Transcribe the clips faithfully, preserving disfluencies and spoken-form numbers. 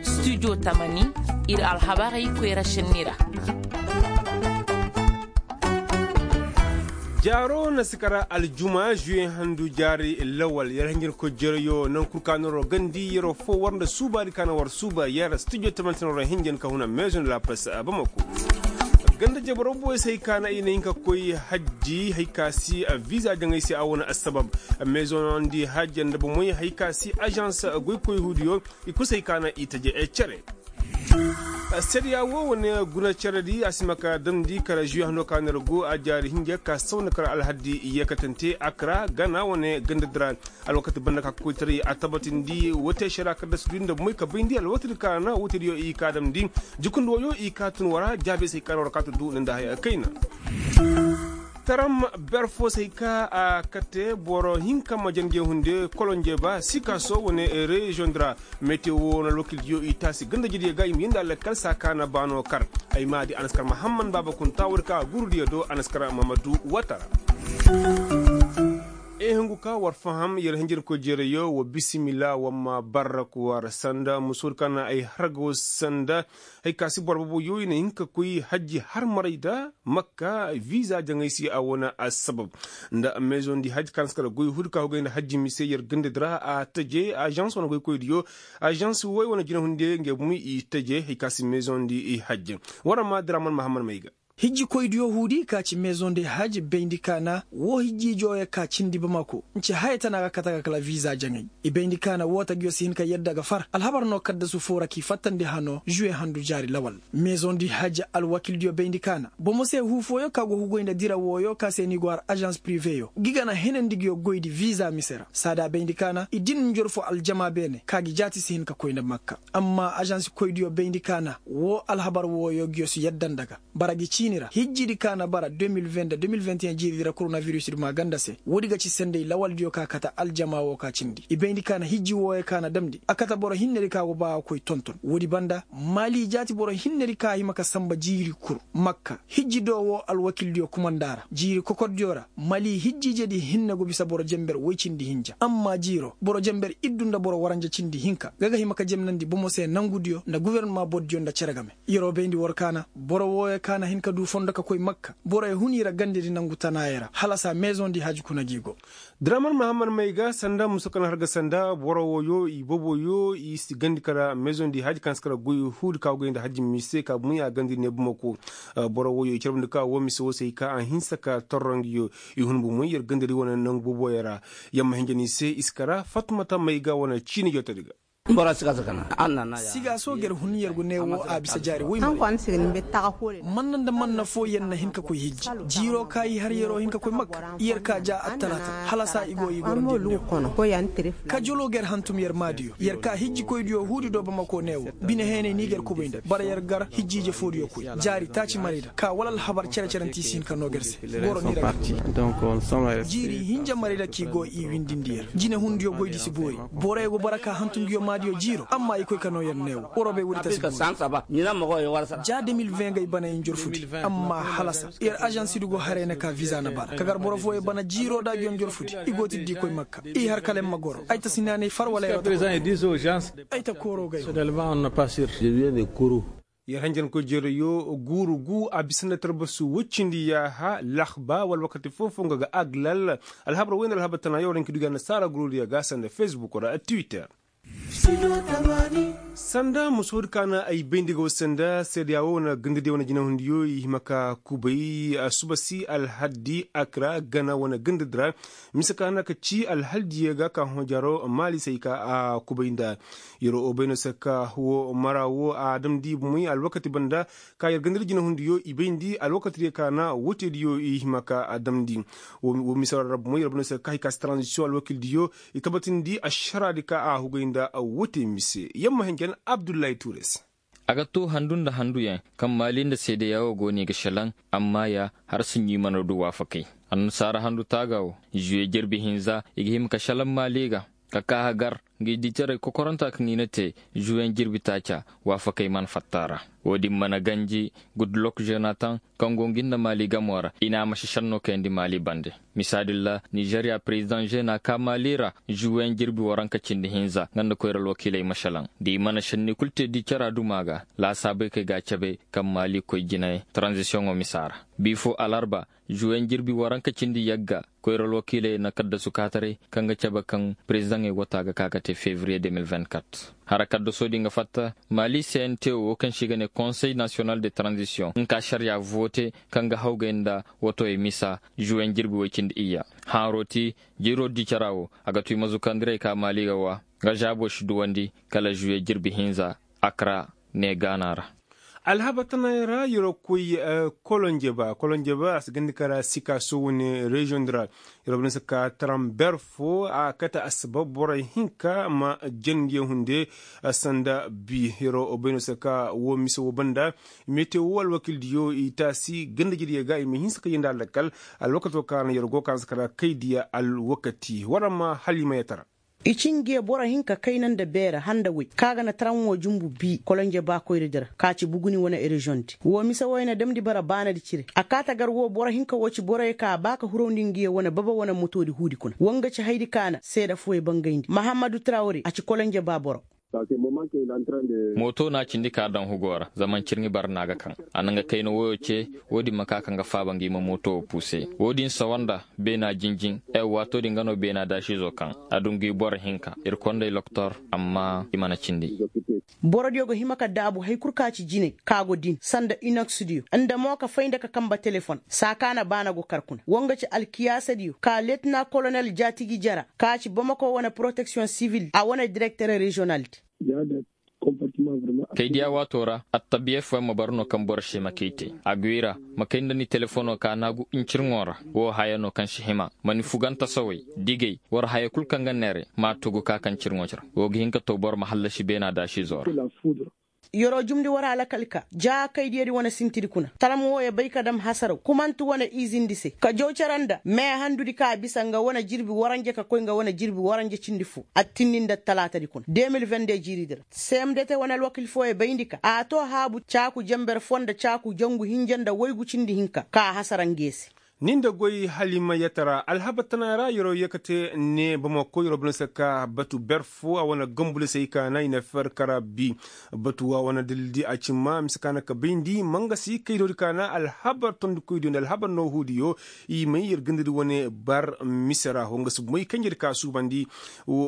Studio tamani, ir alhabarey koyra šenni ra. Jaaro na si kara aljuma juwe handu jaari lawal yer hinjin ko jereyo naŋ kul ka na ro gandi yero fo war nda suubaadi ka na war suuba yer studio tamani se na ro hinjin ka huna maison de la presse a bamako. Ganda jabaro boy se hay ka na i na hin ka koy hajji hay ka si visa jaŋay se a wane assabab. Maison di hajji nda bomey hay ka si agence goy koy huudiyo i kul se hay ka na i taje cere. Sariya wo wane guna cere di a si ma ka damndi kala juwe hando ka na ir go a jaari hinja ka saw nda kala alhaddi yeekatante akra gana wane ganda di ra. Alwakati banda ka koytaray a tabatindi wote sariya kaddasi du nda moy ka bayndi alwakati di ka na wote diyo i ka damndi. Jukundi woyo i ka tun wara jaabe se ka na wara ka tun du nda haya kayna. Taram ber fo se hay ka a kate boro hinka ma janjey hunde kolonjey ba sikaso wane reziyoŋ di ra. Metewo na alwakildiyo i taasi gandajediyo ga i ma yindi alakal saa ka na baano kar. Ay maadi anaskar mahamman baaba kunta woodi ka a gurudiyo do anaskar mamadu watara. E hungu ka war faham yer hinjirkoy jeerayo wa bisimila wa ma barrak war sanda musoodi ka na ay harga wo sanda. Hay ka si boro boboyo i na hin ka koy hajji har maray da makka visa jaŋay se a wane assabab. Nda maison di hajji ka na si kala goy huudi ka hugay nda hajji mise yer gandadi ra a taje agence wane goykoydiyo. Agence woy wane jinahundiyo ngey bumi i taje hay ka si maison di hajji. War ma draman mahamman may ga. Hijjikoydiyo huudi ka ci maison de hajji bayndi ka na woo hijji ijooyo ka cindi bamako nce haya tana ga kate ga kala visa jaŋay. I bayndi ka na woo tagiyo si hin ka yadda ga far alhabar no kaddasu foo ra k'i fattandi hano juwe handu jaari lawal. Maison di hajji alwakildiyo bayndi ka na bomo se huu fooyo ka go hugoy nda dira wooyo ka se ni go har agence priveyo gi ga na henandi nguyo goydi visa mise ra saada bayndi ka na i din njorfo aljama beene ka gi jaati si hin ka koy nda makka. Amma agence koydiyo bayndi ka na woo alhabar wooyo nguyo si yadda nda ga bara gi ciini ra hijjidi ka na bara deux mille vingt deux mille vingt et un jiiridi ra koronavirusdi maa ganda se woodi ga ci senday lawaldiyo ka kate aljama woo ka cindi i bayndi ka na hijji wooyo ka na damndi a kate boro hinnedi ka go ba a koy tonton woodi banda maali jaati boro hinnedi ka hima ka samba jiiri kul makka hijji do woo alwakildiyo kumanda ra jiiri kokordiyo ra maali hijjiijedi hinne go bisa boro jenber woy cindi hinja amma jiiro boro jenber iddu nda boro waranja cindi hinka ga ga hima ka jemnandi bomo se nangudiyo nda gofornama bordiyo nda cere game. Yer'o bayndi war ka na boro wooyo ka na hin ka du fondo ka koy makka borey hun i ra gandedi nangu tanaayo ra hala saa maison di hajji kuna g'i go. Draman mahamman may ga sanda muso kaŋ har ga sanda boro wooyo i boboyo i si gandi kala maison di hajji kaŋ si kala goy huudi ka goy nda hajji mise ka bumi a gandedi ne bumako. Boro wooyo i carbundi ka woo mise woo se i ka a hinsa ka torro nguyo i hun bumey yer gandedi wane nangu boboyo ra. Yamma hinja ni se i si kara fatmata may ga wane ciini jootodi ga. Siga so ger hun yer go ne wo a bisa jaari woy ma. Manna nda manna fo yer na hin ka koy hijji jiiro ka i har yer'o hin ka koy makka yer ka ja attalaata hala saa i go i goro njer ne wo. Ka jolo ger hantum yer maadiyo yer ka hijjikoydiyo huudi do bamako ne wo bine heenay ni ger kubay nda bara yer gar hijjiije foodiyo koy jaari taaci marayda ka wala alhabar cere-ceranti si hin ka noo ger se. Goro ni ra gar jiiri hinja marayda k'i go i windindi yer jinehundiyo goydi si boori. Borey go bara ka hantum nguyo maadiyo jiiro amma i koy ka noo yer neewo waroo bay woodi ta si boori. Ja deux mille vingt ga i bana i njorfudi amma halasa yer ažansidu go haray na ka viza na bara ka gar boro fooyo bana jiiro da nguyo njorfudi. I go tiddi koy makka i har kala yer ma goro ay ta sinaanay far wala yer ta kooro ga yo. Yer hanjankoy jereyo guuru gu a bisa nda tarbasu woy cindi yaaha lahba wala wakati foo-foo nga ga aglal. Alhabar woy nda alhabar tana yaw ra nki dugi annasaara gurudiyo ga sanda facebook ra twitter. Sanda musoodi ka na ay bayndi ga wo sanda seedeya wo wane gandadiyo wane jinahundiyo i hima ka kubay asuba si alhaddi akra gana wane gandadi ra. Mise ka na ka ci alhaldiyo ga ka hõ jaaro maali se ay ka a kubay nda. Yer'o bay no se ka wo mara wo a damndi bumey alwakati banda ka yer gandadi jinahundiyo i bayndi alwakatidiyo ka na woteediyo i hima ka a damndi. Wo mise ra bumey yer bay no se ka hay ka si taranzisiyoŋ alwakildiyo i tabatindi ašaraadi ka a hugay nda wote mise yamma henjen abdullahi tuure se. A ga too handu nda handuyaŋ kaŋ maali nda seedeya wo go no i ga šelaŋ. Amma ya har si ɲiima no du waafakay annasaara handu taaga wo. Žuwe jerbi hinza i ga hima ka šelaŋ maali ga ka kaa hagar. ngi diitaray kokoranta kaŋ i na te, zuweŋ jirbi taaca, waafakey mana fatta a ra. Wo-din mana ganji, gudlok zenatan, kaŋ go ngi nda maali gamo ra, i na a masi šenno kayandi maali bande. Misa din ra, nizeriya perezidaŋ zena ka maali ra, zuweŋ jirbi waranka cindi hinza nga nda koyra alwakiiley ma šelaŋ. Da i mana šenni kul te diicara duma ga, laasaabey kaŋ i ga a cabe, kaŋ maali koy jine, taranzisiyoŋo misa ra. Bi fo alarba, zuweŋ jirbi waranka cindi yagga, koyra alwakiiley na kaddasu kaataray, kaŋ ga cabe kaŋ perezidaŋey wata ga ka ga te fevriye de mil vingt-kat. Hara kaddasoo din ga fatta, maali se n te wo kaŋ se i ga ne konsey nasiyonal de taranzisiyoŋ nka ašariya vote, kaŋ ga hawgay nda, watowey misa, zuweŋ jirbi woy cindi iyya. Haaroo ti, jiiroo diicara wo, a ga tu i ma zukandirey ka maali ga wa, nga zaaboo si duwandi, kala zuwe jirbi hinza, akra, ne gaana ra. Alhabar tanay ra yeroo koy, kolonjeba kolonjeba a si gandi kara sika sowu ne reziyoŋ di ra. Yeroo banda se ka taramber fo a kate assabab borey hinka ma jandiyo hunde. Sanda bi yeroo bayno se ka woo mise woo banda, mete woo alwakiildiyo i taasi gandajediyo ga i ma hinsa ka yee nda alakal. Alwakatoo ka na yeroo go ka na se kara kaydiya alwakati war ma halimayatara. I ci nge boro hinka kayna nda beera handa woy ka ga na taran wo jumbu bi kolonje baakoyradi ra ka ci buguni wane reziyoŋdi woo mise woy na damndi bara baanadi cire. A kaa tagar woo boro hinka woo ci boroyo ka a baa ka hurawndi ngiyo wane baba wane motoodi huudi kuna woo nga ci haydi ka na seeda fooyo bangayndi mahammadu trawre a ci kolonje baa boro. Mooto na a cindi ka daŋ hugoo ra zama ncirŋi bara na a ga kaŋ. A na nga kayna woyoo ce. Woodin ma ka ka nga faaba ngi ma mooto woo puuse. Woodin sawa nda beena jinjin. Ay waatoo din nga no beena daasiizoo kaŋ a du ngi boro hinka ir kondey loktor. Amma i mana cindi. Borodiyo ga hima ka daabu hay kul ka ci jinay ka go din sanda inoksdiyo nda mo ka fay nda ka kamba telefon saa ka na baana go kar kuna woo nga ci alkiyaasadiyo ka letina kolonel jaatigi jara ka ci bamako wane poroteksiyoŋ sivil a wane direkter reziyonaldi. Kay diya waatoo ra attabiya fooyaŋ ma bara no kaŋ boro se ma kay te a gwi ra. Ma kay nda ni telefono ka naagu ncirŋo ra. Woo haya no kaŋ si hima ma ni fuganta saway digay war haya kul kaŋ ga neere m'a tugu ka kaŋ cirŋo ra. Woo ga hin ka too boro ma hallasi beena daasiizoo ra. Yeroo jumndi war alakal ka ja kaydiyadi wane sintidi kuna taram wooyo bay ka dam hasaraw kumanti wane izindi se ka jaw cere nda meehandudi ka bisa nga wane jirbi waranje ka koy nga wane jirbi waranje cindi foo. Attinni nda talaatadi kuna de mil vende jiiridi ra. Semdete wane alwakil fooyo bayndi ka a too haabu caaku jenber foo nda caaku jangu hinja nda woygu cindi hinka ka a hasara nge se. Ni nda goy halimayatara alhabar tana ra yeroo yee ka te ne bamako yeroo bana se ka batu ber foo a wane gambulisey ka na i na fer kara bi. Batu a wane dalildi a cimma mise ka na ka bayndi mangasi kaydoodi ka na alhabar tondikoydiyo nda alhabar noohuudiyo. I may yer gandadi wane bar mise ra woo nga si moy kanjedi ka suubandi.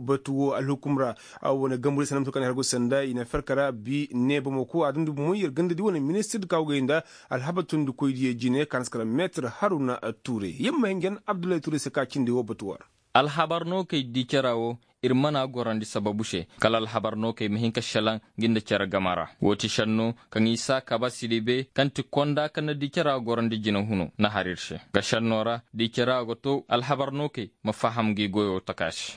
Batu woo alhukum ra a wane gambulisey na mise ka na i hargo sanda i na fer kara bi ne bamako a dundi moy yer gandadi wane ministirdi ka woo gay nda alhabar tondikoydiyo jine ka na si kala meetir haruna. Tuure yer ma hin ga yan abdullahi tuure se ka cindi woo batu war. Alhabar no kay di cere woo ir mana gorandi sababu se kala alhabar no kay ma hin ka šelaŋ ngi nda cere game ra woo ti šenno kaŋ isa kabasidi be kaŋ ti konda kaŋ na di cere gorandi jine huno na har ir se ga šenno ra di cere ga to alhabar no kay ma faham ngi goyo taka se.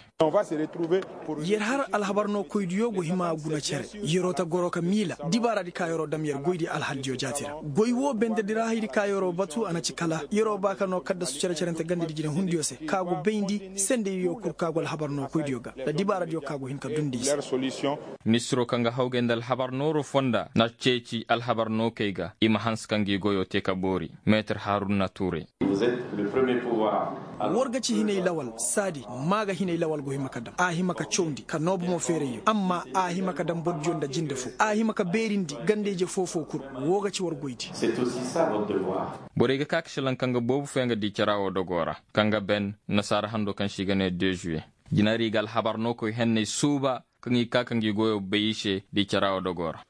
Yer har alhabar no koydiyo go hima guna cere. Yeroo ta goro ka miila dibaaradi ka yeroo dam yer goydi alhaldiyo jaati ra goy woo bendedi ra haydi ka yeroo batu a na ci kala yeroo ba ka noo kaddasu cere-cerente gandedi jinehundiyo se ka go bayndi sendediyo kul ka go alhabar no koydiyo ga nda dibaaradiyo ka go hin ka dundi i se. Ministiroo kaŋ ga hawgay nda alhabar nooroo fonda na ceeci alhabar nookey ga i ma hanse ka ngi goyoo tee ka boori. Meetir haruna tuure. War ga ci hinay lawal saadi maa ga hinay lawal go hima ka dam a hima ka cawndi ka noo bomo feerayyo amma a hima ka dam bordiyo nda jinde foo a hima ka beerindi ganda-ije foo-foo kul. Woo ga ci war goydi. Borey ga ka ka šelaŋ kaŋ ga boobo fooyaŋ ga di cere woo dogoo ra kaŋ ga ben nasaara handoo kaŋ se i ga nee de zuwe. Jinari ga alhabar nookoy henney suuba kaŋ i ka ka ngi goyoo bay i se di cere woo dogoo ra.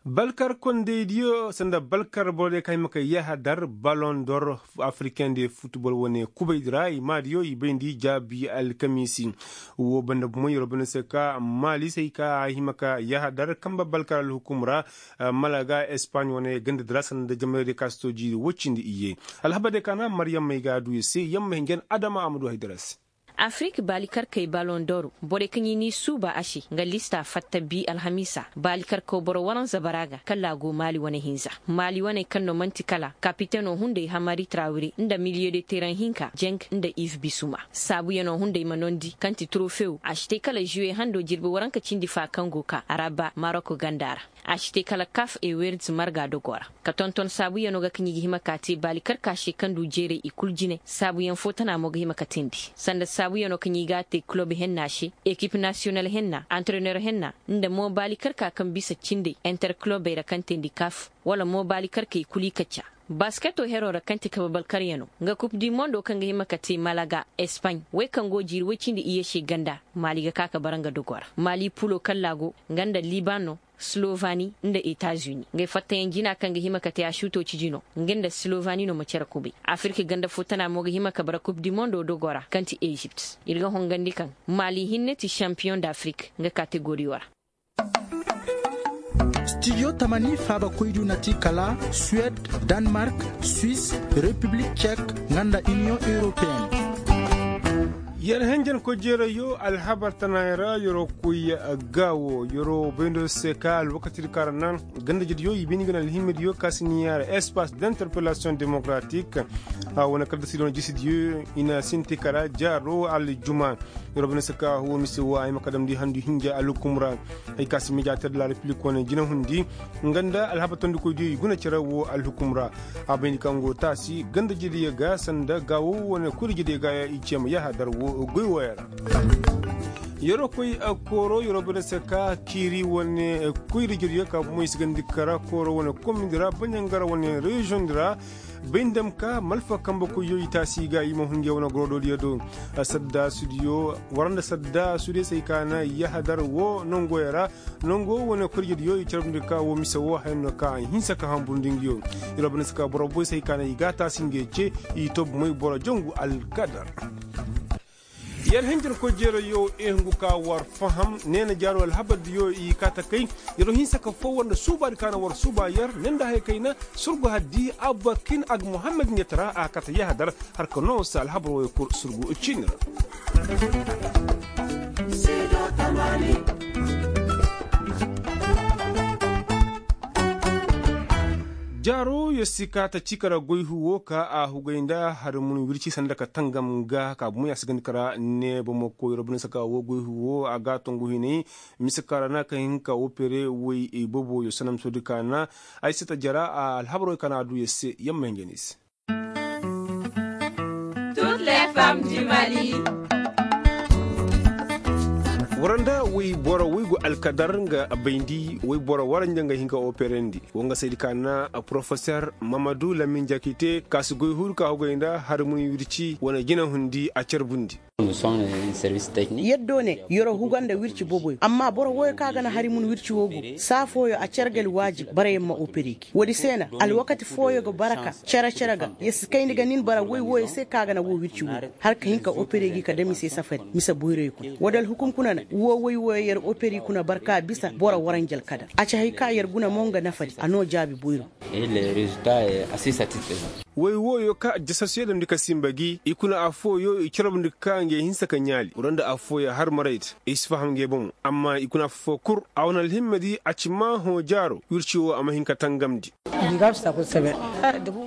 Balkar kondaydiyo sanda balkar borodiyo kaŋ hima ka yahadar balon dor afrikaŋ de futbol wane kubaydi ra i maadiyo i bayndi jaabi alkamiisi. Woo banda bomo yeroo banda se ka maalisey ka a hima ka yahadar kamba balkar alhukum ra. Malaga espaaɲ wane gandadi ra sanda jamaydiyo ka si too jiiri woy cindi iyye. Alhabardiyo ka na maryam may ga a du i se yamma hinja na adama a ma du haydara se. Afirik baalikarkey balon doro borey kaŋ i n'i suuba a se nga lista fatta bi alhamiisa. Baalikarkaw boro waranza bara ga kala a go maali wane hinza. Maali waney kaŋ no man'ti kala kapiteno hunday hamari trawire nda miliye de teren hinka jeng nda iv bisuma. Saabuyanoo hunday ma nondi kaŋ ti turofew a si te kala žuwe hando jirbi waranka cindi fa kaŋ go ka a ra ba maroko ganda ra. A si te kala kaf e werds marga dogo ra ka tonton saabuyanoo ga kaŋ i ga hima ka te baali karka se kaŋ du jeeray i kul jine saabuyaŋ fo tana mo ga hima ka teendi. Sanda saabuyanoo kaŋ i ga a te kulob henna se ekip nasiyonal henna antrenor henna nda mo baali karka kaŋ bisa cindey interkulobey ra kaŋ teendi kaf wala mo baali karkey kul i kacca. Basketoo heroo ra kaŋ ti kabe balkaryanoo nga kup di mondo kaŋ ga hima ka te malaga espaɲ wey kaŋ go jiiri woy cindi iyye se ganda. Maali ga ka ka bara nga dogo ra maali pulo kalla go nga nda liban no slovani nda etazuni. Ngey fattayaŋ jina kaŋ ga hima ka te a suutoo ciji no nga nda slovani no ma cere kubay. Afirka ganda fo tana mo ga hima ka bara kup di mondo dogo ra kaŋ ti ezipt. Ir ga hongandi kaŋ maali hinne ti šampiyoŋ da afirka nga kategoriyo ra. Stidiyo tamani faabakoydiyo na ti kala suwed, danmark, swis, repiblik cek, nga nda iniyoŋ europeyen. Yer henjen koy jeerayyo alhabar tanaayoo ra yeroo koy gaawo yeroo bayndoo se ka alwakatidi ka ra naŋ ganda jediyo i bayndi ga na alhimmidiyo ka si ni yaara espas d'interpelasiyoŋ demokaratik. A wane kala da sidoŋ jisidiyo i na sinti kala jaaroo aljuma. Yeroo bayndi se ka woo mise woo a hima ka damndi handu hinja alhukum ra. Hay ka si mediyater de la repiblik wane jinahundi nga nda alhabar tondikoydiyo i guna cere woo alhukum ra. A bayndi kaŋ go taasi ganda jediyo ga sanda gaawo wane kuri jediyo ga i ceema yahadar woo goy wooyo ra. Yeroo koy kooroo yeroo bayndi se ka kiiri wane kuyri jediyo ka bomo i si gandi kara kooroo wane komindi ra baɲangara wane reziyoŋdi ra. Bay nda ma ka malfa kambe koyyo i taasi ga i ma hundiya wane gorodoodiyo do. Saddaasudiyo war nda saddaasudiyo se ay ka na yahadar woo nongoyo ra. Nongo wane korjediyo i carbundi ka woo mise woo haya no ka a hinsa ka hamburndi nguyo. Iri wa banda se ka boro boy se ay ka na i ga a taasi nguyo ce. I to bomey boro jongu alkadar. Yer hinjin koy jeerayo i hungu ka war faham neena jaaro alhabardiyo i kaata kay. Yer hinsa ka foo war nda suubaadi ka na war suuba yer ne nda haya kayna. Surgu haddi abba kin ag muhammad ɲetara a kaata yahadar. Har ka noo se alhabar wooyo kul surgu ciini ra. Jaaro yer si kaata cii ka ra goy huu woo ka a hugay nda hari mun wirci sanda ka tangam ga ka bomo ya si gandi ka ra. Ne bomo koy yer bine se ka woo goy huu woo a ga a tongu hinay. Mise ka ra na ka hin ka opere woy boboyo sanam soodi ka na ay se ta jara alhabar woy ka na a du yer se yamma hinja ni se. War nda woy boro woy go alkadar nga bayndi woy boro war nja nga hin ka operandi. Wo nga saydi ka na porofeser mamadu lamin jakite ka si goy huuru ka hugay nda hari mun wirci wane jinahundi a carbundi. Yer do ne yer huga nda wirci boboyo amma boro woyo ka ga na hari mun wirci woo go saa fooyo a cargal waajib barayaŋ ma opere gi woodi se na alwakati fooyo ga bara ka cere cere ga yer si kayndi ga nin bara woy wooyo se ka ga na woo wirci woo go har ka hin ka opere gi ka dam i se safari mise boyroyo kuna woodi alhukum kuna na woo woy wooyo yer opere kuna bara ka bisa boro waranjal kadar a ci hay ka yer guna mo nga nafadi a noo jaabi boyro. Woy wooyo ka jasasuyo damndi ka sinba gi i kuna affooyo i carabndi ka ngey hinsa ka ɲaali wala nda affooyo har maray te i si faham ngey bomo amma i kuna affoo kul a wane alhimmadi a ci maa hõ jaaro wirci woo a ma hin ka tangamndi.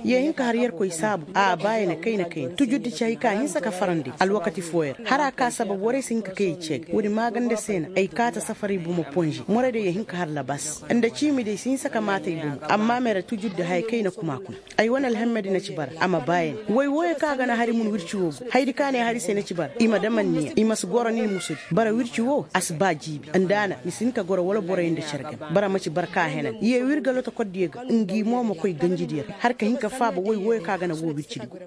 Yee hin ka har yerkoy saabu a baayana kayna kayna tujurdi ci hay ka hinsa ka farandi alwakati fooyo ra har a ka sabab warey si hin ka kay ay ceega woodi maaganda se na ay kaata safaray bomo ponze moraydiyo yee hin ka har labas nda ciimidiyo si hinsa ka maata ay bomo amma mere tujurdi haya kayna kuma kuna. Ay wane alhammadi na ci bara a ma baayandi woy wooyo kaŋ a ga na hari mun wirci woo go hayadi kaŋ a ne hari se na ci bara i ma dam anniya i ma si goro nin musudi bara wirci woo a si ba jiibi nda a na ni si hin ka goro wala boroyaŋ nda care game bara ma ci bara ka henan yee wir ga lotokordiyo ga ngi mo ma koy ganjidiyo ra har ka hin ka faaba woy wooyo kaŋ a ga na woo wircidi go.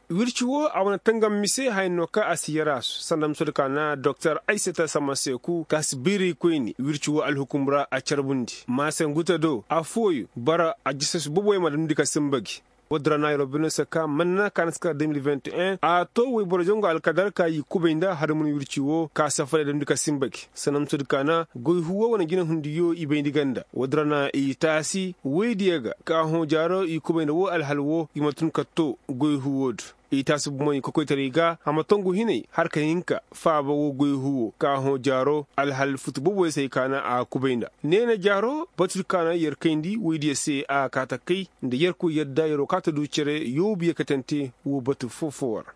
Wirci woo a wane tangam mise haya no kaŋ a si yaraasu sanda musudi ka na doktor aysata samaseeku ka si biiraykoyni wirci woo alhukum ra a carbundi maase nguta do affooyo bara a jisasu boboyaŋ ma damndi ka sinba gi. Woodin ra na yeroo bine se ka manna ka na si kar de mil vingt et un a to woy boro jangu alkadar ka i kubay nda hari mun wirci woo ka safariyaŋ damndi ka sinba gi sanda musudi ka na goy huu woo wane jinahundiyo i bayndi ganda woodin ra na i taasi woydiyo ga ka hõ jaaro i kubay nda woo alhal woo i ma tun ka to goy huu woo do. I taasi bumey kokoytaray ga a ma tongu hinay har ka hin ka faaba woo goy huwo ka hõ jaaro alhal futu boboyey se hay ka na a kubay nda. Neena jaaro batur ka na yer kayndi woydiyo se a kaa ta kay nda yerkoy yadda yeroo kaa ta du cere yoobu yeekatante woo batu foo-foo ra.